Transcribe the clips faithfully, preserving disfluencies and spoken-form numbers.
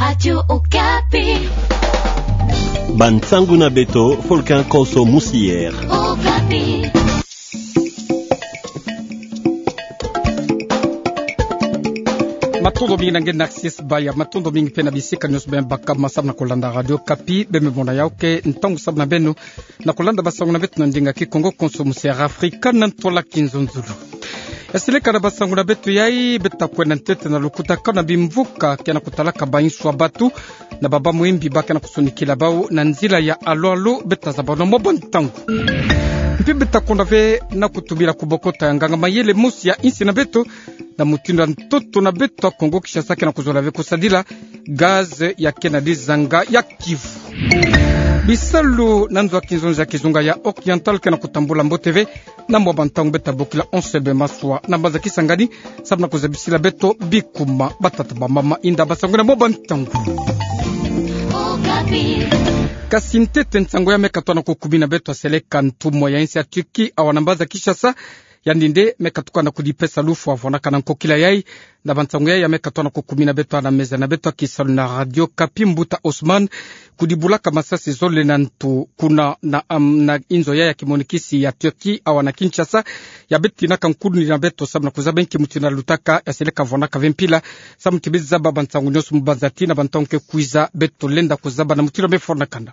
Radio Okapi. Bansangu na beto, Folkin Konso Musier. Okapi. Matondo mingi na nge Narcisse Baya, matondo mingi pe na bisika nionso beno baka ma samu na kolanda Radio Okapi, beno mona yawu ke ntangu samu na beno na kolanda bansangu na beto na ndinga Kikongo Konso Musier Afrika na ntwala Kinzonzolo. Ya seleka na bansangu na beto yai, beto ta kwenda ntete na lukutakanu na bimvuka ke na kutalaka ba inswa batu na baba mwembi ba ke na kusonikila bawu na nzila ya alo-alo, beto ta zaba na mwa bantangu. Mpe beto ta kwenda ve na kutumila kubokota ya nganga mayele mosi ya insi na beto, na mutindu ya ntoto na beto ya Kongo Kinshasa ke na kuzola ve kusadila gaz ya ke na dizanga ya Kivu. Bisalu na nzo ya kinzonzi ya kizunga ya Oriental ke na kutambula mbote ve na mwa bantangu. Beto ta bokila Onse Be Maswa na mbanza Kisangani samu na kuzabisila beto bikuma. Batata bamama, inda bansangu na mwa bantangu. Kasi ntete nsangu ya me katuka na kukumina beto ya seleka ntumwa ya insi ya Turquie awa na mbanza Kinshasa, yandi nde me katuka na kudipesa lufwa vwanaka na nkokila yai na bansangu yai ya me katuka na kukumina beto na meza na beto ya kisalu na Radio Okapi, mbuta Osman, kudibulaka masasi zole na ntu kuna na, am, na inzo yai ya kimonikisi ya Turquie awa na Kinshasa, ya beto tinaka nkuni na beto samu na kuzaba nki mutindu ya lutaka, ya seleka vwanaka ve mpila samu ti beto zaba bansangu nionso mu banza ti na bantangu ke kwiza. Beto lenda kuzaba na mutindu ya me fwanakana.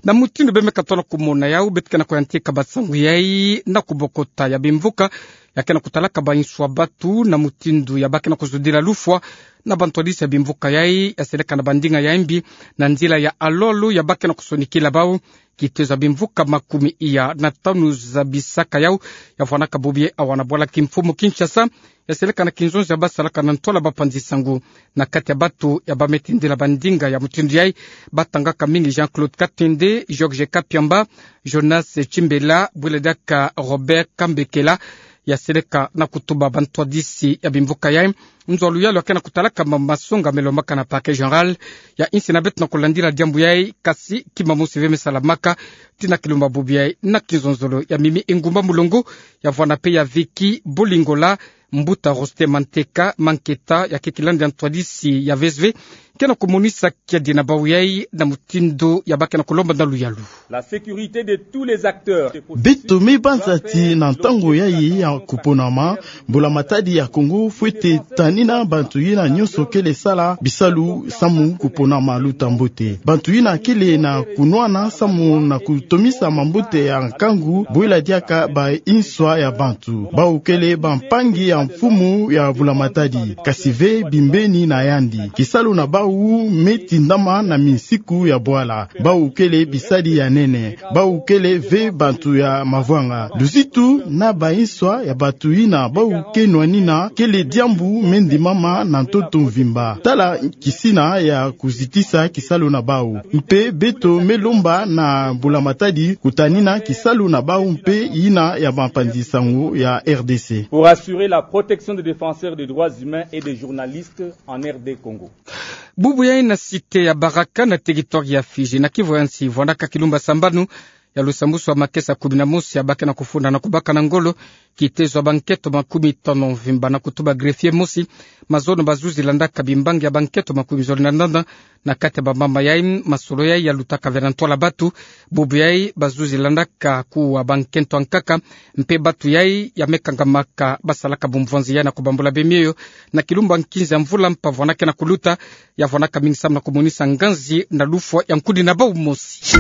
Na mutindu beno me katuka na kumona yawu, beto ke na kuyantika bansangu yai na kubokota ya bimvuka ya ke na kutalaka ba inswa batu na mutindu ya ba ke na kuzudila lufwa na bantwadisi ya bimvuka yai, ya seleka na bandinga ya imbi na nzila ya alo-alo ya ba ke na kusonikila bawu. Kitezo ya bimvuka makumi iya na tanu zabisaka yawu ya vwanaka bubu yai awa na bwala kimfumu Kinshasa, ya seleka na kinzonzi ya basalaka na ntwala bapanzi-nsangu. Na kati ya batu ya ba me tindila bandinga ya mutindu yai, ba tangaka mingi Jean-Claude Katende, Georges Kapiamba, Jonas Chimbela, bwela diaka Robert Kambekela, ya seleka na kutuba bantwadisi ya bimvuka yai nzo ya luyalu ya ke na kutalaka ma masonga me lombaka na Parquet Général ya insi na beto na kulandila diambu yai. Kasi kima mosi ve me salamaka, ti na kilumbu ya bubu yai na kinzonzolo ya Mimi Engumba Mulongo, ya vwana pe ya Vicky Bolingola, mbuta Roste Manteka Manketa, ya keke landa ya ntwadisi ya V S V, ke na kumonisa kiadi na bawu yai na mutindu ya ba ke na kulomba na luyalu. La sécurité de tous les acteurs. Beto me banza ti na ntangu yai ya kuponama, mbula matadi ya Kongo fwete tanina bantu yina nionso kele sala bisalu samu kuponama luta mbote. Bantu yina kele na kunwana samu na kutomisa mambote ya nkangu, bwela diaka ba inswa ya bantu. Bawu kele bampangi ya mfumu ya mbula matadi, kasi ve bimbeni na yandi. Kisalu na bawu me tindama na minsiku ya bwala. Bawu kele bisadi ya nene. Bawu kele ve bantu ya mavwanga. Luzitu na ba inswa ya bantu yina bawu ke nwanina kele diambu me ndimama na ntoto mvimba. Tala kisina ya kuzitisa kisalu na bawu. Mpe beto me lomba na mbula matadi kutanina kisalu na bawu mpe yina ya bapanzi-nsangu ya R D C. Pour assurer la protection des défenseurs des droits humains et des journalistes en R D Congo. Bubu yai na cité ya Baraka na territoire ya Fidji, na Kivu ya nsi, vwandaka kilumbu ya sambanu ya lusambusu ya makesa kumi na mosi ya ba ke na kufunda na kubaka na ngolo kitezo ya bankento makumi tanu mvimba, na kutuba greffier mosi mazono bazuzi landaka bimbangi ya bankento makumi zole na ndanda. Na kati ya bamama yai, masolo yai ya lutaka ve na ntwala batu. Bubu yai bazuzi landaka kuwa bankento ya nkaka, mpe batu yai ya me kangamaka basalaka bumvwanzi yai na kubambula bemioyo na kilumbu ya nkinza ya mvula mpa vwana ke na kuluta, ya vwanaka mingi samu na kumonisa nganzi na lufwa ya nkuni na bawu mosi.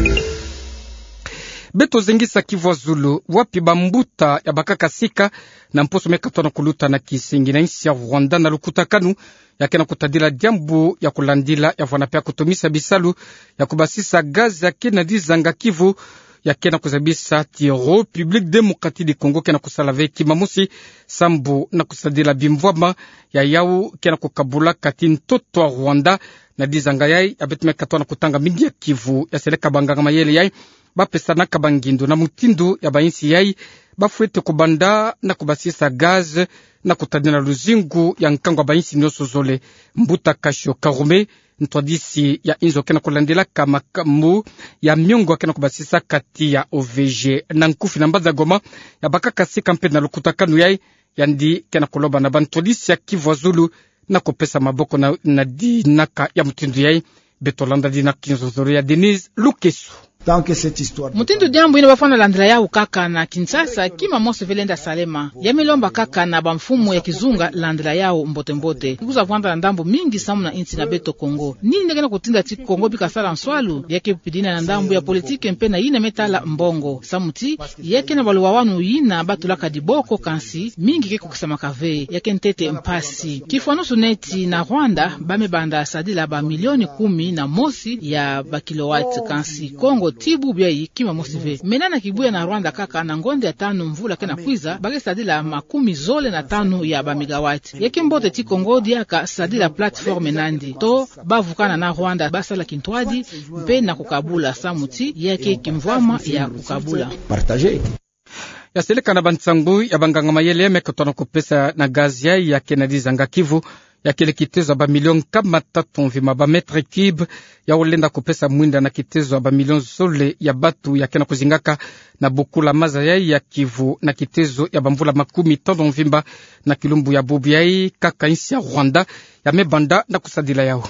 Beto zengisa Kivu ya zulu, wapi bambuta ya bakaka sika na mposo me katoa na kuluta na kisingi na insi ya Rwanda na lukutakanu ya ke na kutadila diambu ya kulandila, ya vwana pe ya kutomisa bisalu ya kubasisa gaz ya ke na dizanga Kivu, ya ke na kuzabisa ti République Démocratique du Congo ke na kusala ve kima mosi sambu na kusadila bimvwama ya yawu ke na kukabula kati ntoto ya Rwanda na dizanga yai. Ya beto me katoa na kutanga mingi ya Kivu, ya seleka banganga mayele yai bapesanaka bangindu na mutindu ya bainsi yai bafwete kubanda na kubasisa gaz na kutadina luzingu ya nkangu ya bainsi nionso zole. Mbuta Kasho Karume, ntwadisi ya inzo ke na kulandilaka makambu ya miongo ya ke na kubasisa kati ya O V G na nkufi na mbanza Goma, ya bakaka sika mpe na lukutakanu yai. Yandi ke na kuloba na bantwadisi ya Kivu ya zulu na kupesa maboko na, na dinaka ya mutindu yai. Beto landa di na kinzonzolo ya Denise Lukeso. Tant que cette histoire... Mutindu diambu yina bafwana landila yawu kaka na Kinshasa, kima mosi ve lenda salema. Ya me lomba kaka na bamfumu ya kizunga landila yawu mbote-mbote. Kwiza vwanda na ndambu mingi samu na insi na beto Kongo. Nini nde kena kutinda ti Kongo bika sala nswalu? Ya ke pidina na ndambu ya politiki mpe na yina me tala mbongo. Samu ti, ya ke na baluwawanu yina batulaka diboko, kansi mingi ke kukisamaka ve. Ya ke ntete mpasi. Kifwanusu neti na Rwanda, ba me banda sadila bamilioni kumi na mosi ya bakilowati, kansi Kongo ti bubu yayi kima mosi ve. Mena na kibuya na Rwanda kaka, na ngonda ya tanu mvula kena kwiza, ba ke sadila makumi zole na tanu ya bamegawati. Ya ke mbote ti Kongo diaka sadila plateforme nandi. To bavukana na Rwanda, basala kintwadi, mpe na kukabula, samu ti ya ke kimvwama ya kukabula. Partager. Ya seleka na bansangu ya banganga-mayele, me kutona kupesa na gaz yai ya ke na dizanga Kivu, ya kele kitezo ya bamilion nkama tatu mvimba ba mètre cube, yawu lenda kupesa mwinda na kitezo ya bamilion zole ya batu ya ke na kuzingaka na bukula maza yai ya Kivu na kitezo ya bamvula makumi tanu mvimba. Na kilumbu ya bubu yai kaka insi ya Rwanda ya me banda na kusadila yawu.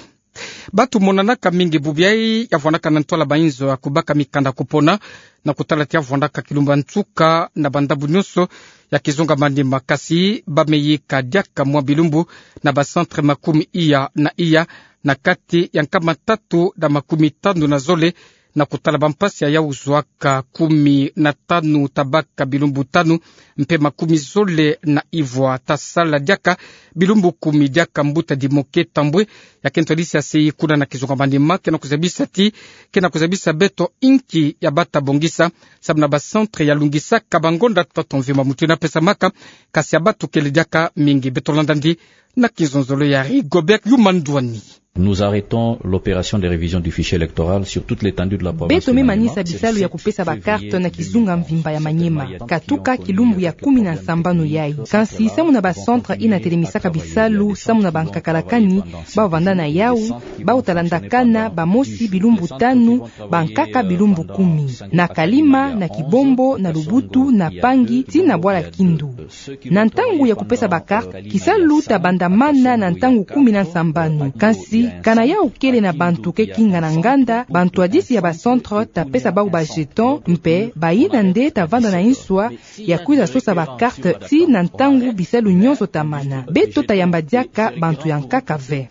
Batu monanaka mingi bubu yai ya vwandaka na ntwala ba inzo ya kubaka mikanda kupona, na kutala ti ya vwandaka kilumbu ya nsuka na bandambu nyonso ya kizunga manima, kasi ba me yika diaka mwa bilumbu na ba centre makumi iya na iya, na kati ya nkama tatu na makumi tanu na zole, na kutala bampasi ya yawu zwaka kumi na tanu tabaka bilumbu tanu, mpe makumi zole na ivwa tasala diaka bilumbu kumi. Diaka mbuta Dimoke Tambwe, ya ke ntwadisi ya sei kuna na kizunga manima, kena kuzabisa ti, kena kuzabisa beto inki ya bata bongisa samu na ba centre ya lungisaka bangonda tatu mvimba. Mutu yina pesamaka, kasi ya batu kele diaka mingi. Beto landa ndi na kinzonzolo ya Rigobert Yuma Ndwani. Nous arrêtons l'opération de révision du fichier électoral sur toute l'étendue de la province du Maniema. Beto me manisa bisalu ya kupesa ba carte na kizunga mvimba ya Maniema, katuka kilumbu ya kumi na nsambanu yai. Kansi samu na ba centre yina telemisaka bisalu samu na bankakalakani, bawu vanda na yawu, bawu talandakana bamosi bilumbu tanu, bankaka bilumbu kumi. Na Kalima, na Kibombo, na Lubutu, na Pangi, tii na Bwala Kindu. Na ntangu ya kupesa ba carte, kisalu tabandamana na ntangu kumi na nsambanu. Kansi, kana yawu kele na bantu ke kinga na nganda, bantwadisi ya ba centre tapesa bawu ba jeton, mpe bayina nde tavanda na inswa ya kwiza sosa ba carte tii na ntangu bisalu nyonso tamana. Beto tayamba diaka bantu ya nkaka ve.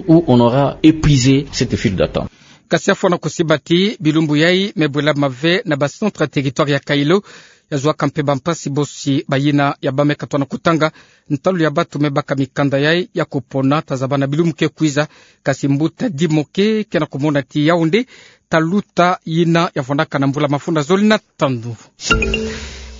Où on aura épuisé cette file d'attente. Kasi ya fwana kusiba ti bilumbu yai me bwelama ve na ba centre ya territoire ya Kailo, ya zwaka mpe bampasi bosi bayina ya ba me katwana kutanga ntalu ya batu me baka mikanda yai ya kupona, tazaba na bilumbu ke kwiza. Kasi mbuta Dimoke kena kumona ti yawu nde taluta yina ya vwandaka na mbula mafunda zole na tanu.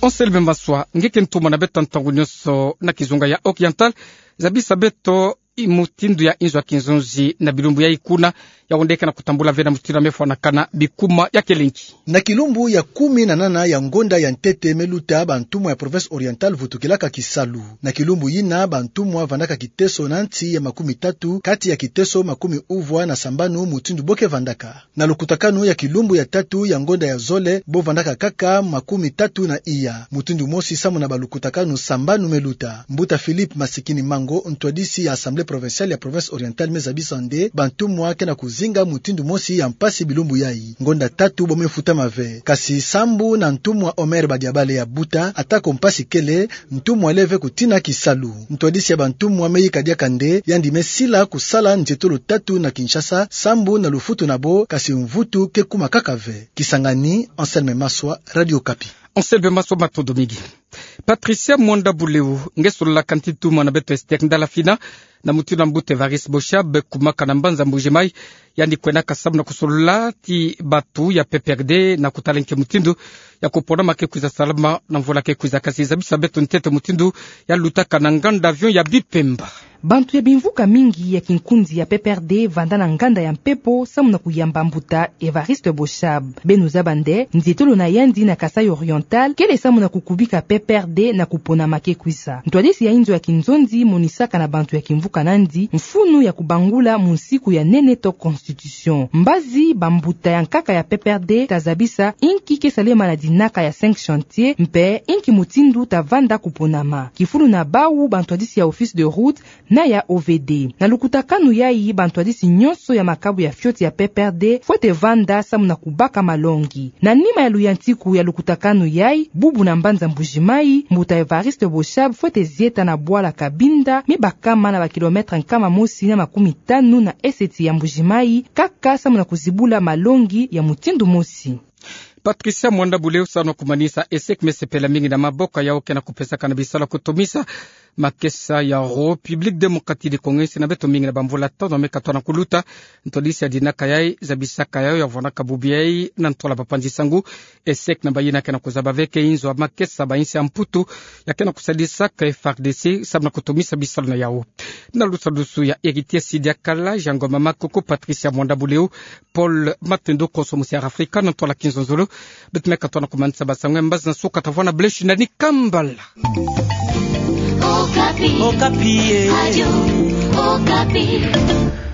Anselme Maswa, nge ke ntumwa na beto ntangu nyonso na kizunga ya Oriental, zabisa beto mutindu ya inzo ya kinzonzi na bilumbu yai kuna, yawu nde kena kutambula ve na mutindu ya me fwanakana bikuma, ya kele nki? Na kilumbu ya kumi na nana ya ngonda ya ntete me luta, bantumwa ya province Oriental vutukilaka kisalu. Na kilumbu yina, bantumwa vandaka kiteso na nsi ya makumi tatu kati ya kiteso makumi uvwa na sambanu mutindu bo ke vandaka. Na lukutakanu ya kilumbu ya tatu ya ngonda ya zole, bo vandaka kaka makumi tatu na iya. Mutindu mosi samu na balukutakanu sambanu me luta. Mbuta Philippe Masikini Mango, ntwadisi ya Assemblée provinciale ya province Orientale, me zabisa nde bantumwa kena kuzinga mutindu mosi ya mpasi bilumbu yai. Ngonda tatu bo me futama ve. Kasi sambu na ntumwa Omer Badiabale ya buta, atako mpasi kele, ntumwa ale ve kutina kisalu. Ntwadisi ya bantumwa me yika diaka nde yandi me sila kusala nzietolo tatu na Kinshasa, sambu na lufutu na bo, kasi mvutu ke kuma kaka ve. Kisangani, Anselme Maswa, Radio Okapi. Anselme Maswa, matondo mingi. Patricia Mwanda Buleu, nge sololaka nti ntumwa na beto Esther Ndala Fina, na mutindu ya mbuta Évariste Boshab, kumaka na mbanza Mbuji-Mayi, yandi kwenaka samu na kusolola ti batu ya P P R D na kutala nki mutindu ya kuponama ke kwiza salama na mvula ke kwiza. Kasi zabisa beto ntete mutindu ya lutaka na nganda avion ya Bipemba. Bantu ya bimvuka mingi ya kinkunzi ya P P R D vanda na nganda ya mpepo samu na kuyamba mbuta Évariste Boshab. Beno zaba nde, nzietolo na yandi na Kasaï Oriental kele samu na kukubika P P R D na kuponama ke kwiza. Ntwadisi ya inzo ya kinzonzi monisaka na bantu ya kimvuka nandi mfunu ya kubangula munsiku ya nene to constitution. Mbazi bambuta ya nkaka ya P P R D tazabisa inki ke salema na dinaka ya cinq chantiers, mpe inki mutindu tavanda kuponama. Kifulu na bawu, bantwadisi ya office de route na ya O V D. Na lukutakanu yayi, bantwadisi nyonso ya makabu ya fioti ya P P R D fwete vanda samu na kubaka malongi. Na nima ya luyantiku ya lukutakanu yayi, bubu na mbanza Mbuji-Mayi, mbuta Evariste Boshab fwete zieta na bwala Cabinda, mi bakama na ba kilomètre nkama mosi na makumi tanu na eseti ya Mbuji-Mayi, kaka samu na kuzibula malongi ya mutindu mosi. Patricia Mwanda Buleu, salu na kumanisa E S S E C, me sepela mingi na maboko yau ke na kupesaka na bisalu ya kutomisa makesa ya République Démocratique du Congo, nsi na beto mingi na bamvula tano me katona kuluta. Ntwadisi ya dinaka yayi zabisaka yau ya vwanaka bubu yayi na ntola bapanzi nsangu. E S S E C na bayina ke na kuzaba ve ke inzo ya makesa ba insi ya Mputu ya ke na kusadisaka F A R D C samu na kutomisa bisalu na yau. Na lusadusu ya Héritier Sidiakala, Jean Ngoma Makoko, Patricia Mwanda Buleu, Paul Matendo, konso Musiara Afrika, na ntola Kinzonzolo. Beto me katona kumanisa ba nsangu ya mbazi na suka, tavwanda, beleshi nani kambala. Okapi. Okapi, eh. Radio Okapi.